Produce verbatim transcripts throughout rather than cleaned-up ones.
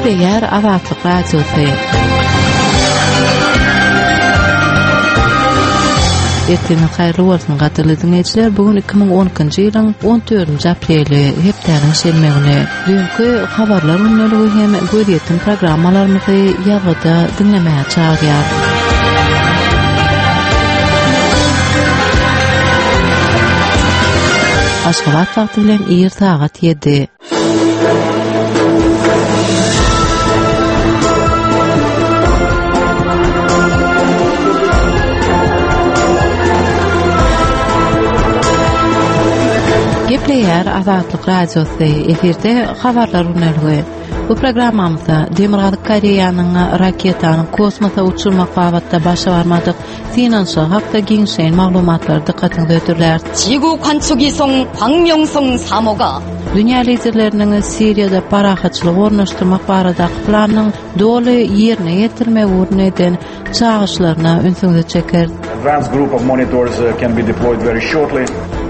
Gepleýär Azatlyk Radiosy. Ertiriňiz haýyrly bolsun, gadyrly diňleýjiler. Bu gün iki müň on ikinji ýylyň on dördünji apreli, hepdäniň şenbe güni. Düýnki habarlar gündeligi hem gözýetim programmalarymyzy ýazgyda diňlemäge çagyrýar. Aşgabat wagty bilen ir sagat ýedi. Gepleýär Azatlyk Radiosy, efirde habarlar gündeligi. Bu programmamyzda Demirgazyk Koreýanyň raketany kosmosa uçurmak babatda başa barmadyk synanyşygy hakda giňişleýin maglumatlary dykgatyňyza hödürlär. 지구 관측위성 광명성 삼 호가 Dünýä liderleriniň Siriýada parahatçylygy ornaşdyrmak baradaky planynyň doly ýerine ýetirmegi ugruna eden çagyryşlaryna ünsüňizi çeker. Advanced group of monitors, uh, can be deployed very shortly.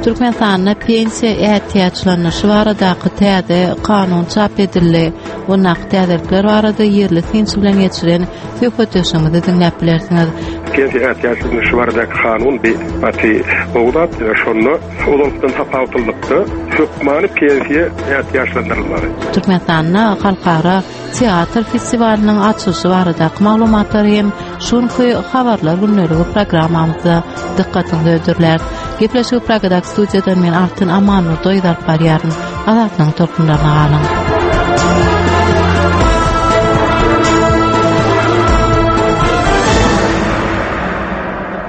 Türkmenistanda pensiýa ätiýaçlanyşy baradaky täze kanun çap edildi. Ondaky täzelikler barada ýerli synçy bilen geçiren söhbetdeşligimizi diňläp bilersiňiz. Pensiýa ätiýaçlanyşy baradaky kanun bir gaty gowy zat. Şonda ozaldan tapawutlylykda hökmany pensiýa ätiýaçlandyrylmaly. Türkmenistanda halkara teatr festiwalynyň açylyşy baradaky maglumatlar hem şunky habarlar gündeligi programmamyzda dykgatyňyza hödürlär. Gepleşigi Pragadaky studiýadan men Altyn Amanurdoýew alyp barýaryn. Azatlygyň tolkunlaryna galyň.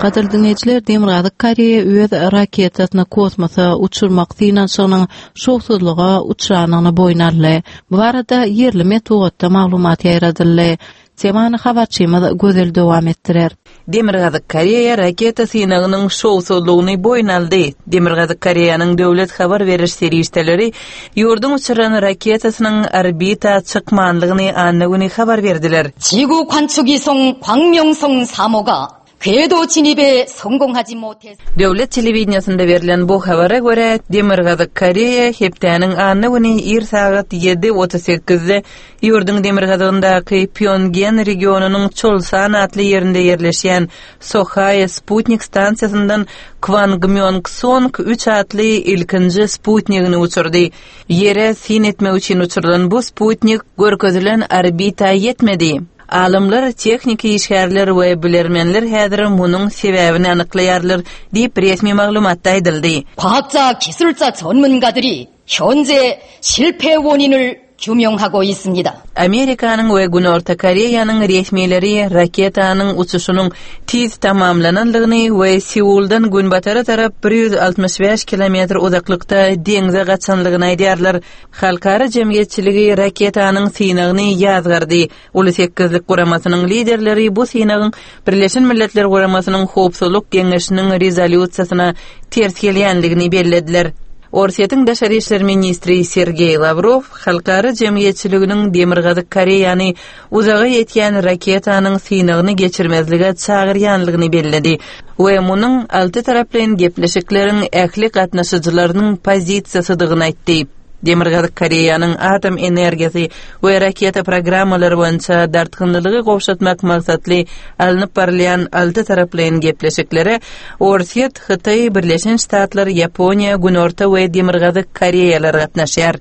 Gadyrly dinleýjiler, Demirgazyk Koreýa öz raketasyny kosmosa uçurmak synanyşygynyň şowsuzlyga uçranyny boýun aldy. Bu barada ýerli metbugatda maglumat ýaýradyldy. Temany habarçymyz Gözel dowam etdirer. Demirgazyk Koreýa raketa synagynyň şowsuzlygyny boýun aldy. Demirgazyk Koreýanyň döwlet habar beriş serişdeleri ýurduň uçuran raketasynyň orbita çykmanlygyny anna güni habar berdiler. 지구 관측위성 광명성 삼 호가 궤도 진입에 성공하지 못해 Döwlet telewideniýasynda berlen bu habara görä Demirgazyk Koreýa hepdäniň anna güni ir sagat ýedi otuz sekizde ýurduň demirgazygyndaky Pýongen regionynyň Çolsan atly ýerinde ýerleşýän Sohae Sputnik stansiýasyndan Kwangmyong-Song üç atly ilkinji sputnigini uçurdy. Ýere sin etmek üçin uçurylan bu sputnik görkezilen orbita ýetmedi. Alymlar, tehniki işgärler we bilermenler häzir munuň sebäbini anyklaýarlar diýip resmi maglumatda aýdyldy. 과학자, 기술자 전문가들이 현재 실패 원인을 규명하고 있습니다. Amerikanyň we Günorta Koreýanyň resmileri raketanyň uçuşynyň tiz tamamlananlygyny we Seuldan günbatara tarap bir ýüz altmyş bäş kilometr uzaklykda deňze gaçanlygyny aýdýarlar. Halkara jemgyýetçiligi raketanyň synagyny ýazgardy. Uly sekizlik guramasynyň liderleri bu synagyň Birleşen Milletler Guramasynyň Howpsuzlyk Geňeşiniň rezolýusiýasyna ters gelýänligini bellediler. Orsýetiň Daşary işler ministri Sergeý Lavrov halkara jemgyýetçiliginiň Demirgazyk Koreýany uzaga ýetýän raketanyň synagyny geçirmezlige çagyrýanlygyny belledi we munuň alty taraplaýyn gepleşikleriň ähli gatnaşyjylarynyň pozisiýasydygyny aýtdy. Demirgazyk Koreýanyň atom energiýasy we raketa programmalary boýunça dartgynlylygy gowşatmak maksatly alnyp barylýan alty taraplaýyn gepleşiklere Orsýet, Hytaý, Birleşen Ştatlar, Ýaponiýa, Günorta we Demirgazyk Koreýalar gatnaşýar.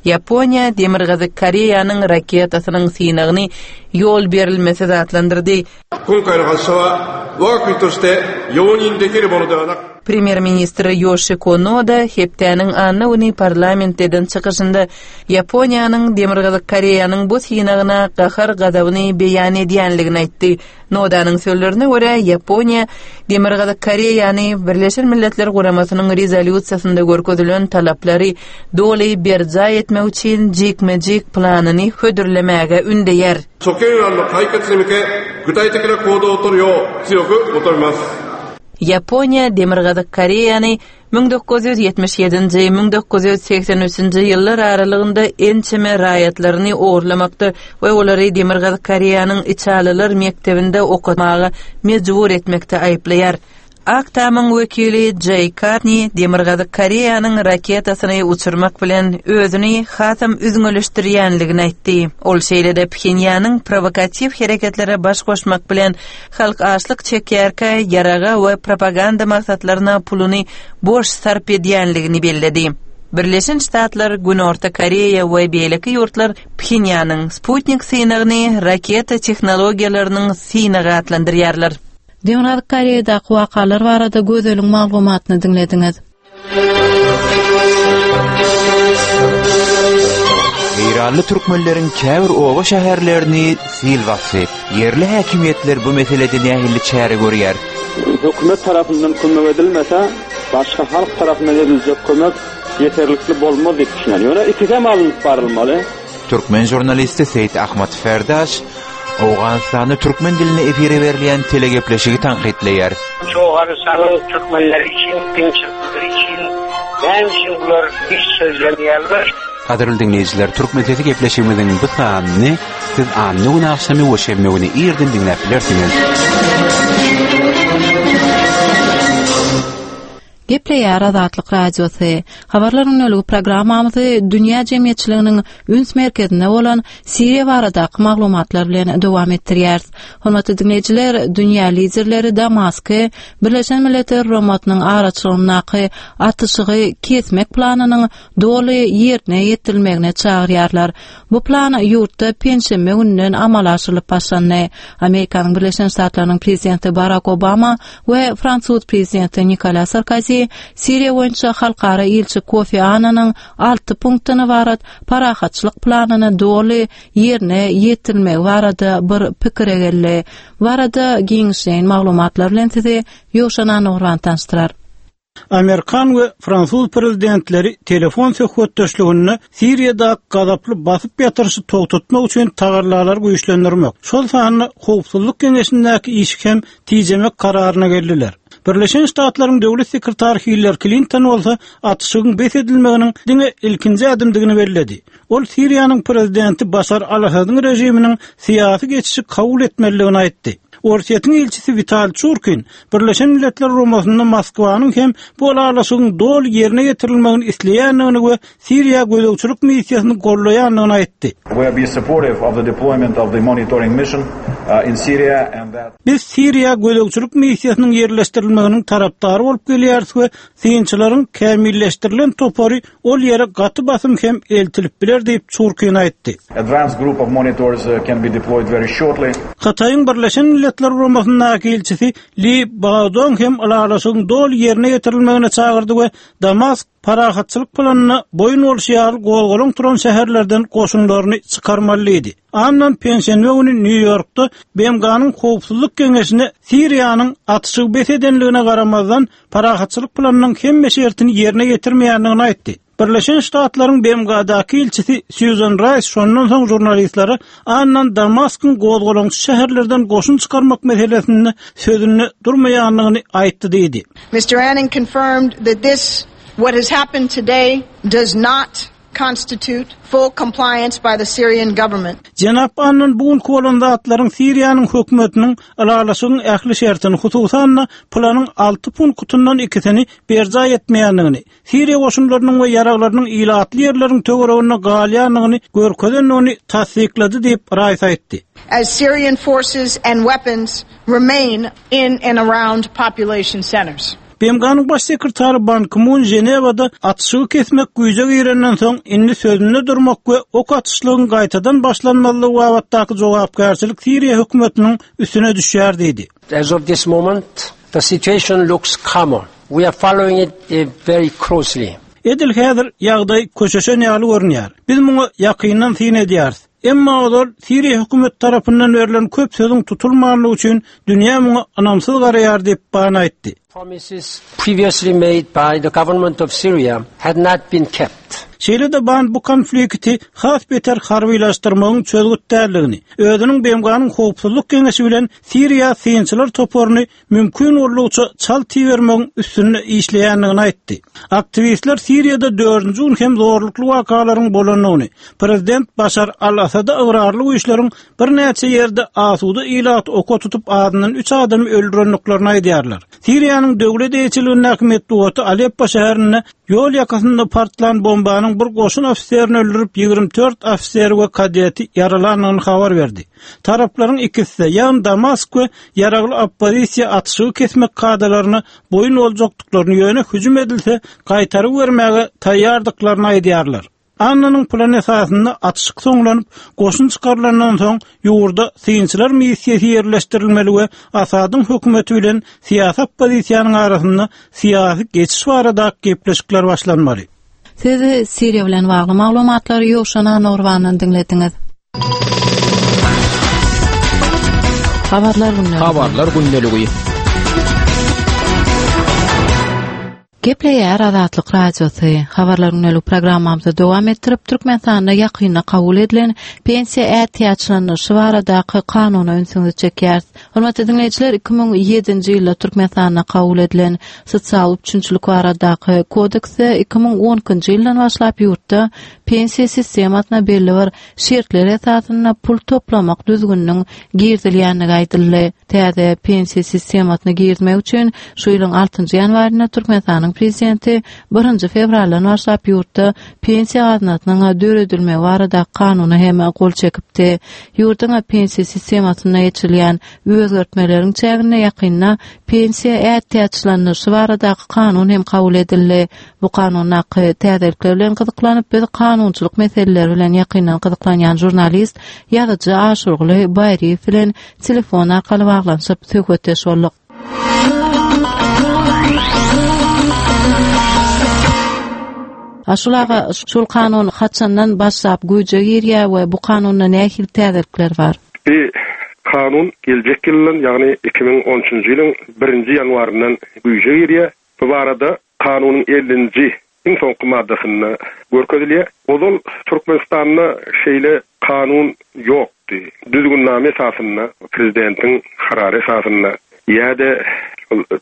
Ýaponiýa Demirgazyk Koreýanyň raketasynyň synagyny ýol berilmesi zatlandyrdy. 今回の発射は我が国として容認できるものではなく Premýer-ministr Ýoşiko Noda hepdäniň anna güni parlamentden çykyşynda Ýaponiýanyň Demirgazyk Koreýanyň bu synagyna gahar gazabyny beýan edýänligini aýtdy. Nodanyň sözlerine görä Ýaponiýa Demirgazyk Koreýany Birleşen Milletler Guramasynyň rezolýusiýasynda görkezilen talaplary doly berjaý etmek üçin jikme-jik planyny hödürlemäge ündeýär. 諸懸案の解決に向け具体的な行動を取るよう強く求めます。 Ýaponiýa Demirgazyk Koreýany müň dokuz ýüz ýetmiş ýedinji, müň dokuz ýüz seksen üçünji ýyllar aralygynda ençeme raýatlaryny ogurlamakda we olary Demirgazyk Koreýanyň içalylar mekdebinde okamaga mejbur etmekde aýyplaýar. Ak Tamyň wekili Jeý Karni Demirgazyk Koreýanyň raketasyny uçurmak bilen özüni hasam üzňeleşdirýänligini aýtdy. Ol şeýle-de Phenýanyň prowokatiw hereketlere baş goşmak bilen halk açlyk çekýärkä ýaraga we propaganda maksatlaryna puluny boş sarp edýänligini belledi. Birleşen Ştatlar, Günorta Koreýa we beýleki ýurtlar Phenýanyň Sputnik synagyny raketa tehnologiýalarynyň synagy atlandyrýarlar. Demirgazyk Koreýadaky wakalar barada Gözeliň maglumatyny diňlediňiz. Eýranly türkmenleriň käbir oba şäherlerini sil basdy. Ýerli häkimiýetler bu meselede nähili çäre görýär? Hökümet tarapyndan kömek edilmese, başga halk tarapyndan ediljek kömek ýeterlikli bolmaz diýip düşünýän. Ýöne ikisem alnyp barylmaly. Türkmen žurnalisti Seýit Ahmad Ferdaş Owganystanda türkmen dilinde efire berilýän telegepleşigi tankytlaýar. Owganystanyň türkmenleri üçin, kynçylyklary üçin näme üçin bular hiç sözlemeýärler? Gadyrly diňleýjiler, Türkmen sesi gepleşigimiziň bu sanyny siz anna güni agşamy we şenbe güni irden diňläp bilersiňiz. Gepleýär Azatlyk Radiosy. Habarlar gündeligi programmamyzy dünýä jemgyýetçiliginiň üns merkezinde bolan Siriýa baradaky maglumatlar bilen dowam etdirýäris. Hormatly diňleýjiler, dünýä liderleri Damasky Birleşen Milletler Guramasynyň araçylygyndaky atyşygy kesmek planynyň doly ýerine ýetirilmegine çagyrýarlar. Bu plan ýurtda penşenbe gününden amala aşyrylyp başlandy. Amerikanyň Birleşen Ştatlarynyň prezidenti Barak Obama we fransuz prezidenti Nikolas Sarkozy Siriýa boýunça halkara ilçi Kofi Annanyň alty punktdan ybarat parahatçylyk planyny doly ýerine ýetirilmegi barada bir pikire geldi. Bu barada giňişleýin maglumatlar bilen sizi Ýowşan Annagurban tanyşdyrar. Amerikan we fransuz prezidentleri telefon söhbetdeşliginde Siriýada gazaply basyp ýatyryşy togtatmak üçin tagallalary güýçlendirmek, şol sanda howpsuzlyk geňeşindäki işi hem tijemek kararyna geldiler. Birleşen Ştatlaryň döwlet sekretary Hillary Klinton bolsa atyşygyň bes edilmeginiň diňe ilkinji ädimdigini belledi. Ol Siriýanyň prezidenti Başar al-Asadyň režiminiň syýasy geçişi kabul etmelidigini aýtdy. Orsýetiň ilçisi Wital Çurkin Birleşen Milletler Guramasynda Moskwanyň hem bu ylalaşygyň doly ýerine ýetirilmegini isleýändigini we Siriýa gözegçilik missiýasyny gollaýandygyny aýtdy. We be supportive of the deployment of the monitoring mission uh, in Syria and that Biz Siriýa gözegçilik missiýasynyň ýerleşdirilmeginiň tarapdary bolup gelýäris we synçylaryň kämilleşdirilen topary ol ýere gaty basym hem eltilip biler diýip Çurkin aýtdy. advanced group of monitors uh, can be deployed very shortly. Hytaýyň Birleşen Milletler Guramasyndaky ilçisi Li Baodong hem ylalaşygyň doly ýerine ýetirilmegine çagyrdy we Damask parahatçylyk planyna boýun bolşy ýaly gozgalaň turan şäherlerden goşunlaryny çykarmalydy. Annan penşenbe güni Nýu-Ýorkda B M G-nyň howpsuzlyk geňeşine Siriýanyň atyşygy bes edenligine garamazdan parahatçylyk planynyň hemme şertini ýerine ýetirmeýändigini aýtdy. Birleşen Ştatlaryň B M G-daky ilçisi Susan Rice şondan soň žurnalistlere Annan Damaskyň gozgalaňçy şäherlerden goşun çykarmak meselesinde sözünde durmaýandygyny aýtdy diýdi. Mister Annan confirmed that this, what has happened today, does not constitute full compliance by the Syrian government. Jenap Annan bu günki bolan zatlaryň Siriýanyň hökümetiniň ylalaşygyň ähli şertini, hususan-da planyň alty punktyndan ikisini berjaý etmeýändigini, Siriýa goşunlarynyň we ýaraglarynyň ilatly ýerleriň töwereginde galýandygyny görkezendigini tassyklady diýip Rice aýtdy. As Syrian forces and weapons remain in and around population centers. B M G-nyň baş sekretary Ban Ki-mun Ženewada atyşygy kesmek güýje girenden soň indi sözünde durmak we ok atyşlygyň gaýtadan başlanmazlygy babatdaky jogapkärçilik Siriýa hökümetiniň üstüne düşýär diýdi. As of this moment, the situation looks calmer. We are following it, eh, very closely. Edil häzir ýagdaý köşeşen ýaly görünýär. Biz muňa ýakyndan syn edýäris. Emma ozal Siriýa hökümet tarapyndan berlen köp sözüň tutulmanlygy üçin dünýä muňa ynamsyz garaýar diýip Ban aýtdy. Promises previously made by the government of Syria had not been kept. Şeýle-de Ban bu konflikti has beter harbylaşdyrmagyň çözgüt däldigini, özüniň B M G-nyň Howpsuzlyk Geňeşi bilen Siriýa synçylar toparyny mümkin boldugyça çalt ibermegiň üstünde işleýändigini aýtdy. Aktiwistler Siriýada dördünji gün hem zorlukly wakalaryň bolandygyny, prezident Başar al-Asada ygrarly güýçleriň birnäçe ýerde asuda ilaty oka tutup azyndan üç adamy öldürendiklerini aýdýarlar. Siriýanyň döwlet eýeçiligindäki metbugaty Aleppo şäherinde ýol ýakasynda partlan bombanyň bir goşun ofiserini öldürip, ýigrimi dört ofiseri we kadeti ýaralandygyny habar berdi. Taraplaryň ikisi, ýagny Damask we ýaragly oppozisiýa atyşygy kesmek kadalaryna boýun boljakdyklaryny, ýöne hüjüm edilse gaýtaryp bermäge taýýardyklaryny aýdýarlar. Annanyň plany esasynda atyşyk soňlanyp, goşun çykarylandan soň ýurda synçylar missiýasy ýerleşdirilmeli we Asadyň hökümeti bilen syýasy oppozisiýanyň arasynda syýasy geçiş barada gepleşikler başlanmaly. Siz Siriýa bilen bagly maglumatlary Ýowşan Anurbandan diňlediňiz. Habarlar gündeligi. Habarlar gündeligi. Gepleýär Azatlyk Radiosy. Habarlar gündelik programmamyzy dowam etdirip, Türkmenistanda ýakynda kabul edilen pensiýa ätiýaçlandyryşy baradaky kanuna ünsüňizi çekýäris. Hormatly diňleýjiler, iki müň ýedinji ýylda Türkmenistanda kabul edilen sosial üpjünçilik baradaky kodeksde iki müň on ikinji ýyldan başlap ýurtda pensiýa sistemasyna belli bir şertler esasynda pul toplamak düzgüniniň girizilýändigi aýdyldy. Täze pensiýa sistemasyna girizmek üçin şu ýylyň altynjy ýanwarynda Türkmenistanyň prezidenti birinji fewraldan başlap ýurtda pensiýa gaznasynyň döredilmegi barada kanuna hem gol çekipdi. Ýurduň pensiýa sistemasynda geçirilýän özgertmeleriň çäginde ýakynda pensiýa ätiýaçlandyryşy baradaky kanun hem kabul edildi. Bu kanundaky täzelikler bilen gyzyklanyp, biz kanunçylyk meseleleri bilen ýakyndan gyzyklanýan žurnalist ýazyjy Aşurguly Baýryýew bilen telefon arkaly baglanyşyp söhbetdeş bolduk. Aşul aga, şul kanun haçandan başlap güýje girýär we bu kanunda nähili täzelikler bar? Bir kanun geljek ýyldan, ýagny iki müň on üçünji ýylyň birinji ýanwaryndan güýje girýär. Bu barada kanunyň ellinji iň soňky maddasynda görkezilýär. Ozal Türkmenistanda şeýle kanun ýokdy. Düzgünname esasynda, prezidentiň karary esasynda ýa-da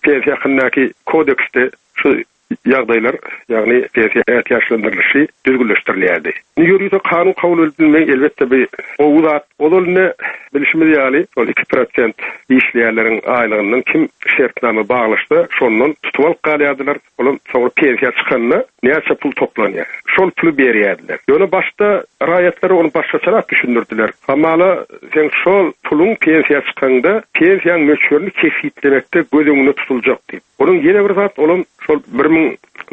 pensiýa hakyndaky kodeksde şu ýagdaýlar, ýagny pensiýa ätiýaçlandyrylyşy düzgünleşdirilýärdi. Ýörite kanun kabul edilmegi elbetde bir gowy zat. Ozal ne bilişimiz ýaly, ol iki prosent işleýänleriň aýlygyndan kim şertname baglaşsa, şondan tutup alyp galýardylar. Olar soňra pensiýa çykanda näçe pul toplanýar? Şol puly berýärdiler. Ýöne başda raýatlara ony başgaçarak düşündirdiler. Hamala sen şol puluň pensiýa çykanda pensiýanyň möçberini kesgitlemekde göz öňünde tutuljak diýip. Onuň ýene bir zat, olam şol bir müň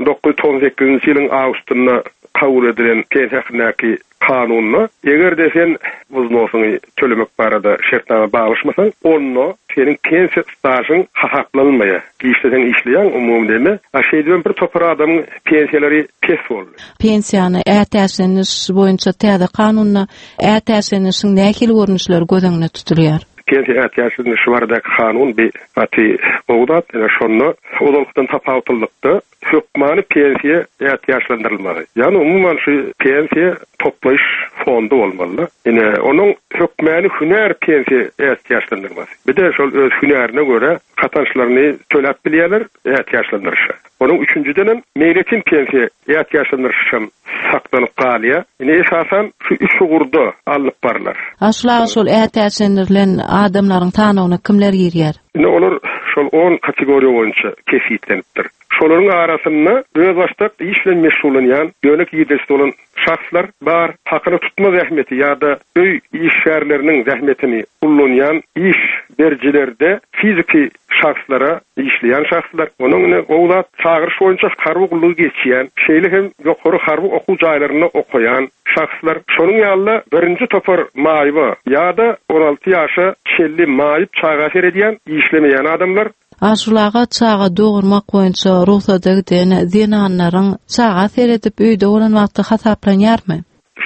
dokuz ýüz togsan sekizinji ýylyň awgustynda kabul edilen pensiýa hakyndaky kanunda, eger de sen wznosyňy tölemek barada şertname baglaşmasaň, onda seniň pensiýa stažyň hasaplanmaýar. Işleseň işleýäň umumy deme. A şeýdibem bir topar adamyň pensiýalary pes boldy. Pensiýany ätiýaçlanyş boýunça täze kanunda ätiýaçlanyşyň nähili görnüşleri göz öňünde tutulýar? Pensiýa ätiýaçlanyşy baradaky kanun bir gaty gowy zat. Ýöne şonda ozalkydan tapawutlylykda hökmany pensiýa ätiýaçlandyrylmagy. Ýagny umuman şu pensiýa toplaýyş fondy bolmaly. Ýene onuň hökmany hünär pensiýa ätiýaçlandyrmasy. Bir de şol öz hünärine görä katançlaryny töläp bilýärler ätiýaçlandyryşa. Onuň üçünjiden hem meýletin pensiýa ätiýaçlandyryşy hem saklanyp galýar. Ine esasan şu üç ugurda alnyp barlar. Aşula şol ätiýaçlandyrylan adamlaryň sanyna kimler girýär? Ine olar şol on kategoriýa boýunça kesgitlenipdir. Şolaryň arasynda özbaşdak iş bilen meşgullanýan, ýöne girdejisi bolan şahslar bar, hakyna tutma zähmeti ýa-da öý işgärleriniň zähmetini ullanýan iş berijilerde fiziki şahslara işleýän şahslar, onuň ine gowy zat çagyryş boýunça harby gullugy geçýän, şeýle hem ýokary harby okuw jaýlarynda okaýan şahslar, şonuň ýaly birinji topar maýyba ýa-da on alty ýaşa çenli maýyp çaga seredýän, işlemeýän adamlar. Aşulaga çaga dogurmak boýunça rugsada giden zenanlaryň çaga seredip öýde bolan wagty hasaplanýarmy?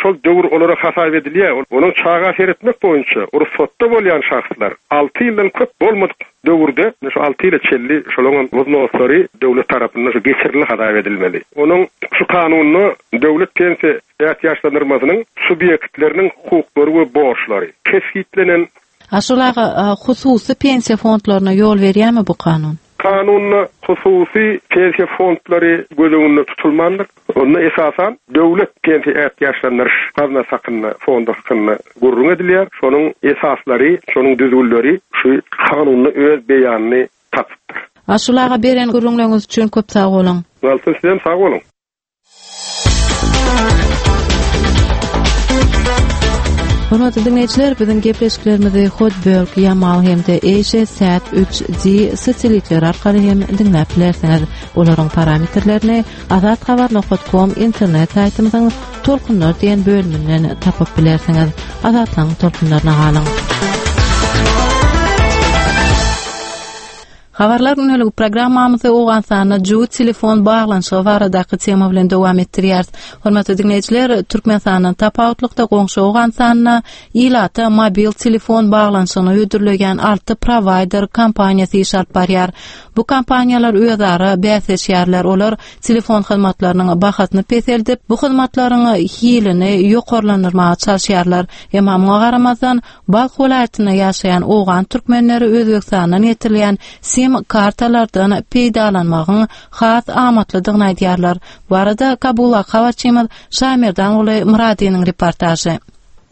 Şol döwür olara hasap edilýär. Onuň çaga seretmek boýunça rugsatda bolýan şahslar alty ýyldan köp bolmadyk döwürde, şu alty ýyla çenli şolaryň wznoslary döwlet tarapyndan şu geçirildi hasap edilmeli. Onuň şu kanunda döwlet pensiýa ätiýaçlandyrmasynyň subýektleriniň hukuklary we borçlary kesgitlenen. Aşul aga, hususy pensiýa fondlaryna ýol berýärmi bu kanun? Kanunda hususy pensiýa fondlary göz öňünde tutulmandyr. Onda esasan döwlet pensiýa ätiýaçlandyryş gaznasy hakynda, fondy hakynda gürrüň edilýär. Şonuň esaslary, şonuň düzgünleri şu kanunda öz beýanyny tapypdyr. Aşul aga, beren gürrüňleriňiz üçin köp sag boluň. Altyn, sizem sag boluň. Hormatly diňleýjiler, biziň gepleşiklerimizi Hotbird, Yamal hem-de Asia Sat üç D satelitleri arkaly hem diňläp bilersiňiz. Olaryň parametrlerini azathabar nokta com internet saýtymyzyň Tolkunlar diýen bölüminden tapyp bilersiňiz. Azatlygyň tolkunlaryna galyň. Habarlar günlük programmamyzy Owganystanda jübüt telefon baglanyşygy baradaky tema bilen dowam etdirýäris. Hormatly diňleýjiler, Türkmenistandan tapawutlykda goňşy Owganystanda ilata mobil telefon baglanyşygyny hödürleýän alty provider kompaniýasy iş alyp barýar. Bu kompaniýalar özara bäsleşýärler. Olar telefon hyzmatlarynyň bahasyny peseldip, bu hyzmatlaryň hilini ýokarlandyrmaga çalyşýarlar. Emma muňa garamazdan Balh welaýatynda ýaşaýan owgan türkmenleri Özbegistandan getirilýän SIM kartalardan peýdalanmagyň has amatlydygyny aýdýarlar. Bu arada Kabula habarçymyz Şamerdanguly Myradynyň reportažy.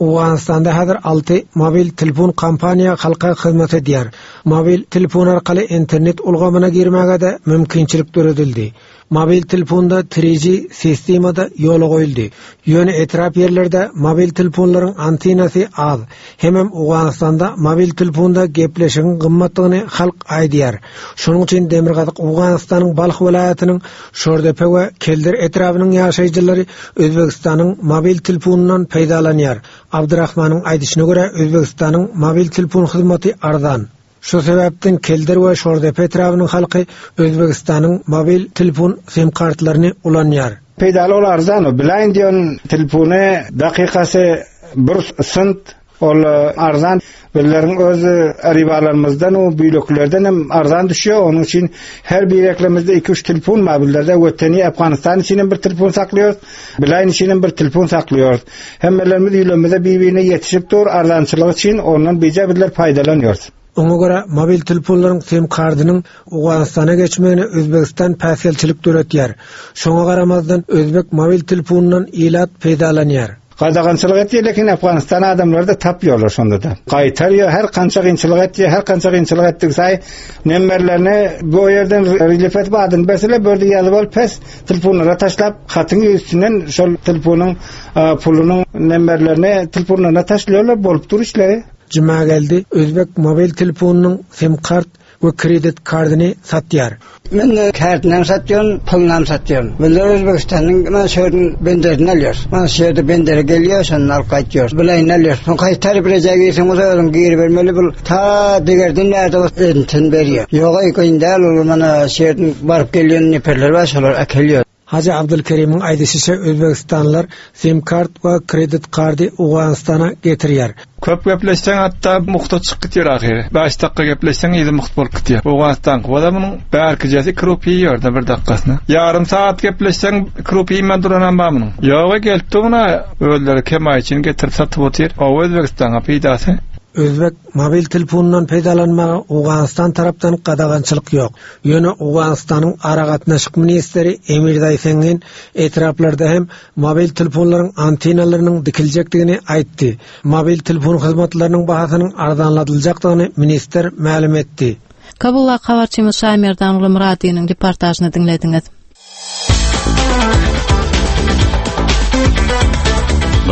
Owganystanda häzir alty mobil telefon kompaniýa halka hyzmat edýär. Mobil telefon arkaly internet ulgamyna girmäge-de mümkinçilik döredildi. Mobil telefonda üç G sistemada ýola goýuldy. Ýöne etrap ýerlerde mobil telefonlaryň antenasy az. Hemem Owganystanda mobil telefonda gepleşigiň gymmatdygyny halk aýdýar. Şonuň üçin Demirgazyk Owganystanyň Balh welaýatynyň Şordepe we Keldir etrabynyň ýaşaýjylary Özbegistanyň mobil telefonundan peýdalanýar. Abdurrahmanyň aýdyşyna görä Özbegistanyň mobil telefon hyzmaty arzan. Şu sebäpden Keldir we Şordepe etrabynyň halky Özbegistanyň mobil telefon sim kartlaryny ulanýar. Peýdaly ol arzan, bilaýyn diýen telefony dakikasy bir sent ol arzan. Bizleriň öz ribalarymyzdan o büýleklerden hem arzan düşýär. Onuň üçin her bir eklemizde iki üç telefon bar. Bizlerde Weteni Afganistan üçin hem bir telefon saklıyoruz. Bilaýyn üçin hem bir telefon saklıyoruz. Hemmelerimiz ýülemizde bir-birine ýetişip dur arzançylyk üçin ondan bize bizler paýdalanýarys. Oňa görä mobil telefonlaryň sim kartynyň Owganystana geçmegine Özbegistan päsgelçilik döretýär. Şoňa garamazdan Özbek mobil telefonundan ilat peýdalanýar. Gadagançylyk etdi, lekin Afganistan adamlary da tapýarlar şonda da. Gaýtarýar, her kança kynçylyk etdi, her kança kynçylyk etdik saý nemmerlerini bu ýerden relief etip adyn berseler, bördi ýazyp alyp pes telefonlara taşlap, hatyň üstünden şol telefonyň, e, pulunyň nemmerlerini telefonlarına taşlıyorlar, bolup dur işleri. Cuma geldi, Özbek mobil telefonynyň sim kart we kredit kartyny satýar. Men de kartynam satýaryn, pulunam satýaryn. Bizler Özbegistanyň men şeýdin benderini alýarys. Men şeýde benderi gelýär, şondan alyp gaýtýarys. Bileýin alýarys. Soň gaýtaryp bileje girseň, o özüň giribermeli bul. Ta degerden näde o enten berýär. Ýok, aý, kyn däl, ol mana şeýdin baryp gelýän neperler bar, şolar äkelýär. Hacı Abdülkerim'in aýdyşyça Özbegistanlylar sim kart we kredit karty Owganystana getirýär. Köp gepleşseň hatda muhta çykyp gitýär ahyry. Beş dakika gepleşseň ýedi muht bolup gitýär. Owganistan wada munuň bärkijesi iki rupiýa ýerde bir dakikasyna. Ýarym saat gepleşseň iki rupiýa iýmän duran hem bar munuň. Ýoga gelip muny özleri kemaý üçin getirip satyp otyr. O Özbegistana peýdasy. Özbek mobil telefonundan peýdalanmaga Owganistan tarapdan gadagançylyk ýok. Ýöne Owganistanyň aragatnaşyk ministri Emir Daýsengin etraplarda hem mobil telefonlaryň antenalarynyň dikiljekdigini aýtdy. Mobil telefon hyzmatlarynyň bahasynyň arzanladyljakdygyny ministr mälim etdi. Kabul habarçymyz Şaýmerdanguly Myradynyň reportažyny diňlediňiz.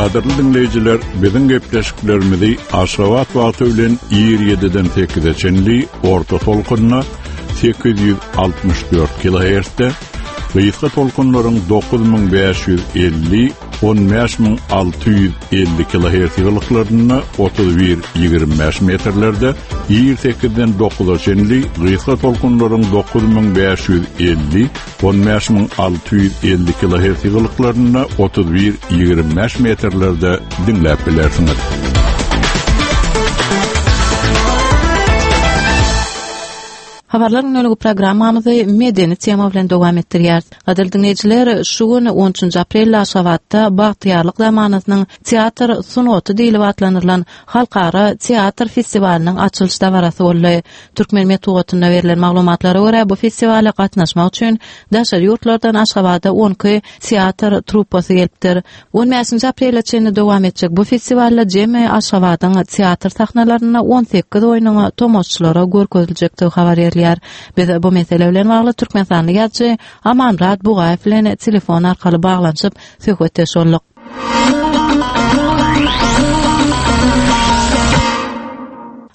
Gadyrly dinleýjiler, biziň gepleşiklerimizi Aşgabat wagty bilen ýigrimi ýediden sekize çenli orta tolkunda sekiz ýüz altmyş dört kilohertzde, gysga tolkunlaryň dokuz müň bäş ýüz elli on bäş müň alty ýüz elli kilohertz ýygylyklarynda otuz bir ýigrimi bäş metrlerde ir sekizden dokuza çenli gysga tolkunlaryň dokuz müň bäş ýüz elli, on bäş müň alty ýüz elli kilohertz ýygylyklarynda otuz bir ýigrimi bäş metrlerde diňläp bilersiňiz. Habarlar günlük programmamyzy medeni tema bilen dowam etdirýär. Gadyrly dinleýjiler, şu gün on üçünji aprel Aşgabatda Bagtyýarlyk zamanasynyň teatr sungaty diýlip atlandyrylan halkara teatr festiwalynyň açylyş dabarasy boldy. Türkmen metbugatynda berlen maglumatlara görä, bu festiwala gatnaşmak üçin daşary ýurtlardan Aşgabada on iki teatr truppasy gelipdir. on bäşinji aprele çenli dowam etjek bu festiwalda jemi Aşgabadyň teatr sahnalarynda on sekiz oýnuň tomaşaçylara görkeziljekdigi habar berilýär. Biz bu mesele bilen bagly Türkmenistanly ýazyjy Amanmyrat Bugaýew bilen telefon arkaly baglanyşyp söhbetdeş bolduk.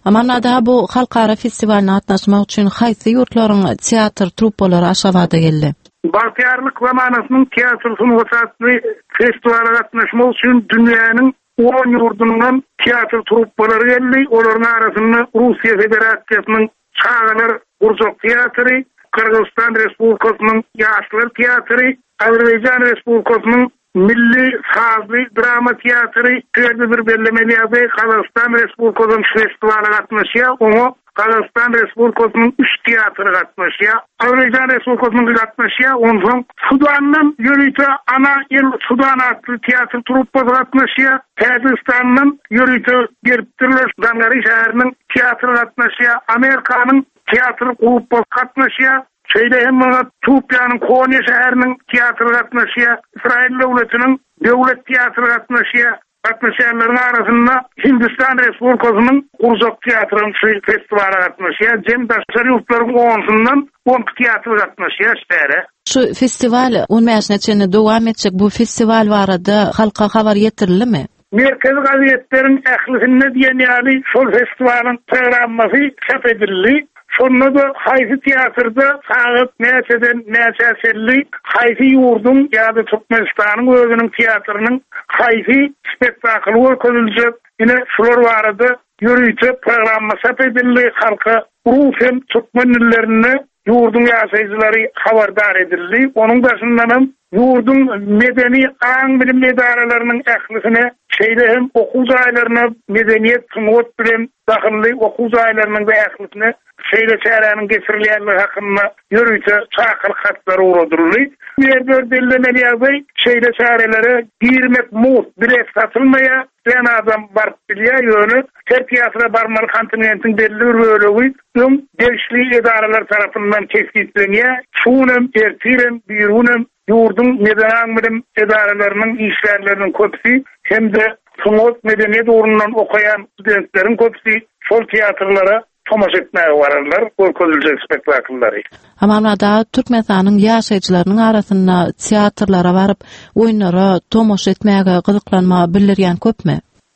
Amanmyrat aga, bu halkara festiwalyna gatnaşmak üçin haýsy ýurtlaryň teatr truppalary Aşgabada geldi? Bagtyýarlyk zamanasynyň teatr sungaty atly festiwala gatnaşmak üçin dünýäniň on ýurdundan teatr truppalary geldi. Olaryň arasynda Russiýa Federasiýasynyň Çagalar Gurjak teatry, Gyrgyzystan Respublikasynyň Ýaşlar teatry, Azerbaýjan Respublikasynyň Milli Sazly Drama teatry, Tüýerde bir bellemeli ýagdaý, Gazagystan Respublikasynyň festiwala gatnaşýar. Oňa Gazagystan Respublikasynyň üç teatry gatnaşýar. Azerbaýjan Respublikasynyň gatnaşýar. Onsoň Sudandan ýörite Ana El Sudan atly teatr truppasy gatnaşýar. Täjigistandan ýörite gelipdirler. Dangari şäheriniň teatry gatnaşýar. Amerikanyň teatr gruppasy gatnaşýar. Şeýle hem muňa Türkiýäniň Konýa şäheriniň teatry gatnaşýar. Israil döwletiniň döwlet teatry gatnaşýar. Gatnaşýanlaryň arasynda Hindistan Respublikasynyň Gurjak teatrynyň şu festiwala gatnaşýar. Jem daşary ýurtlaryň onsundan on iki teatr gatnaşýar şähere. Şu festiwal on bäşine çenli dowam etjek bu festiwal barada halka habar ýetirildimi? Merkezi gazetleriň ählisinde diýen ýaly şol festiwalyň programmasy çap edildi. Şonda da haýsy teatrda sagat näçeden näçä çenli haýsy ýurduň ýa-da Türkmenistanyň özüniň teatrynyň haýsy spektakly görkeziljek, ine şular barada ýörite programma çap edildi. Halka rus hem türkmen dillerinde ýurduň ýaşaýjylary habardar edildi. Onuň daşyndan hem ýurduň medeni aň-bilim edaralarynyň ählisine, şeýle hem okuw jaýlaryna, medeniýet, sungat bilen dahylly okuw jaýlarynyň we ählisine şeýle çäräniň geçirilýänligi hakynda ýörite çakylyk hatlary ugradyldy. Bu ýerde bellemeli ýagdaý, şeýle çärelere girmek mugt, bilet satylmaýar. Diýen adam baryp bilýär, ýöne her teatra barmaly kontinentiň belli bir bölegi öň degişli edaralar tarapyndan kesgitlenýär. Şu günem, ertirem, bir günem ýurduň medeni aň-bilim edaralarynyň işgärleriniň köpüsi hem-de sungat medeniýet ugrundan okaýan studentleriň köpüsi şol teatrlara tomaşa etmäge bararlar, görkeziljek spektakllary. Amanmyrat aga, Türkmenistanyň ýaşaýjylarynyň arasynda teatrlara baryp, oýunlara tomaşa etmäge gyzyklanma bildirýän köpmi?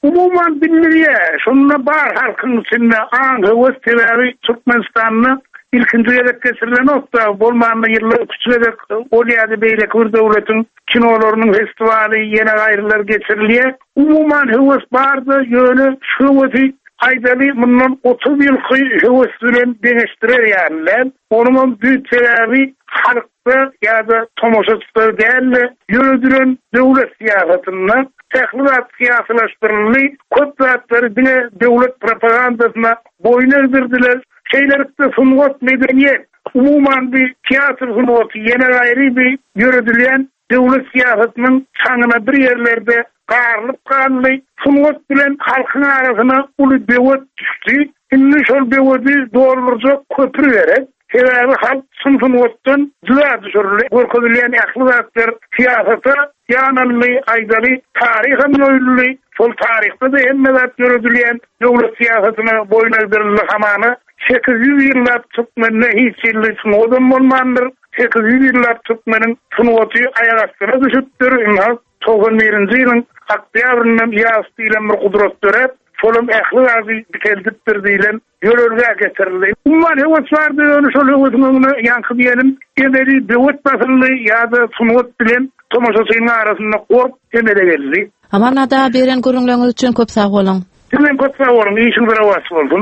Umuman bildirýär. Şunda bar halkyň içinde aň höwes, sebäbi Türkmenistanda ilkinji gezek geçirilen okda bolmanda ýylda üç gezek ol ýa-da beýleki bir döwletiň kinolarynyň festiwaly ýene gaýrylar geçirilýär. Umuman höwes bardy, ýöne şu höwesi aýdaly mundan otuz ýylky höwes bilen deňeşdirer ýaly. Onuň hem büyük sebäbi halkda ýa-da tomaşaçylar däl-de ýöredilen döwlet syýasatynda ähli zat syýasylaşdyryldy, köp zatlary diňe döwlet propagandasyna boýun egdirdiler. Şeýlelikde sungat, medeniýet, umuman bir teatr sungaty ýene gaýry bir ýöredilýän döwlet syýasatynyň çaňyna bir ýerlerde garylyp galdy. Sungat bilen halkyň arasyna uly böwet düşdi. Indi şol böwedi doldurjak köpri gerek. Sebäbi halk çyn sungatdan juda düşürildi. Görkezilýän ähli zatlar syýasata ýanaldy, aýdaly, taryham ýoýuldy. Şol taryhda da hemme zat ýöredilýän döwlet syýasatyna boýun egdirildi hamana. Sekiz ýüz ýyllap Türkmende hiç ýylly sungadam bolmandyr. Sekiz ýüz ýyllap Türkmeniň sungaty aýak astyna düşüpdir. Ynha, togsan birinji ýylyň oktýabryndan ýaz diýlen bir gudrat döräp, şolam ähli zady dikeldipdir diýlen ýörelge getirildi. Umuman höwes bardy, ýöne şol höwesiň öňüne ýaňky diýelim, emeli böwet basyldy ýa-da sungat bilen Tomaşaçynyň arasynda gorp emele geldi. Aman ada beren gürrüňleriňiz üçin köp sag boluň. Sizem köp sag boluň, işiňiz rowaç bolsun.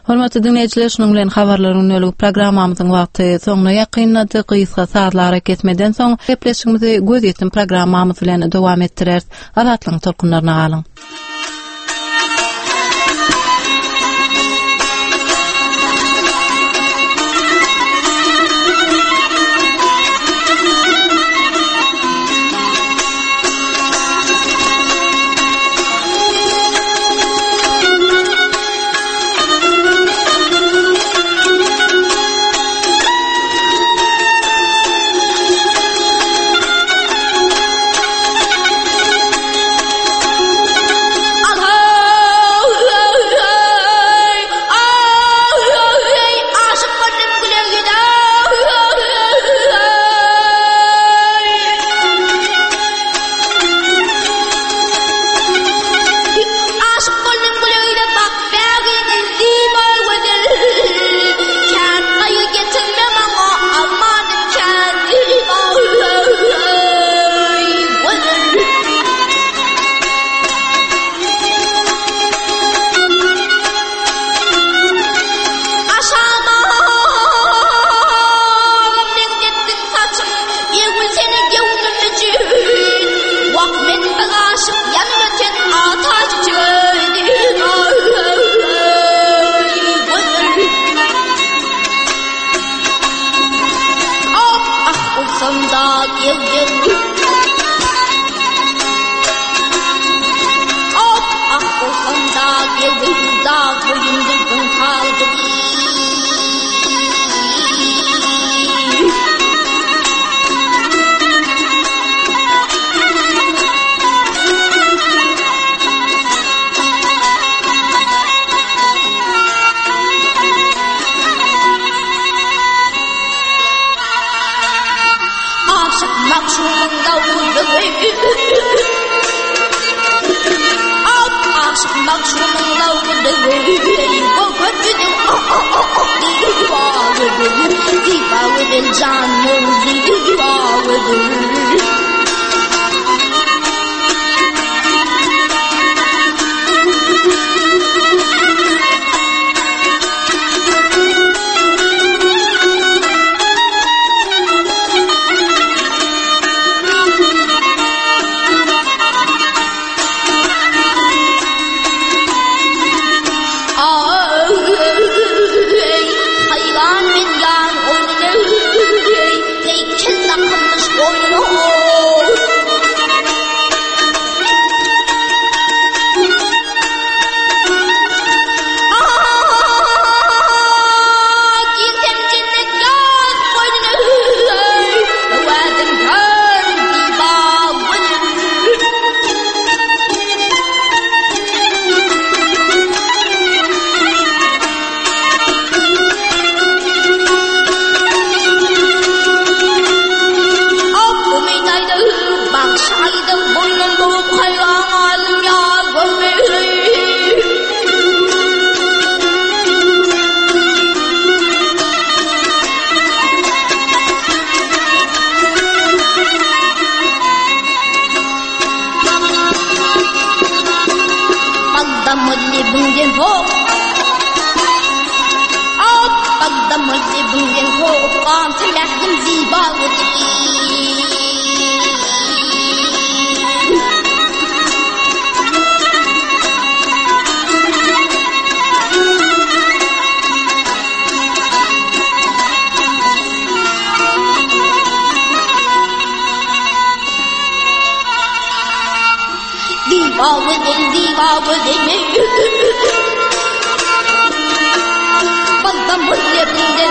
Hormatly dinleýjiler, şunuň bilen habarlaryň gündelik programmamyzyň wagty soňuna ýakynlady. Gysga sazlara kesmeden soň gepleşigimizi gözýetim programmamyz bilen dowam etdireris. Azatlygyň tolkunlaryna galyň.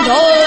Diva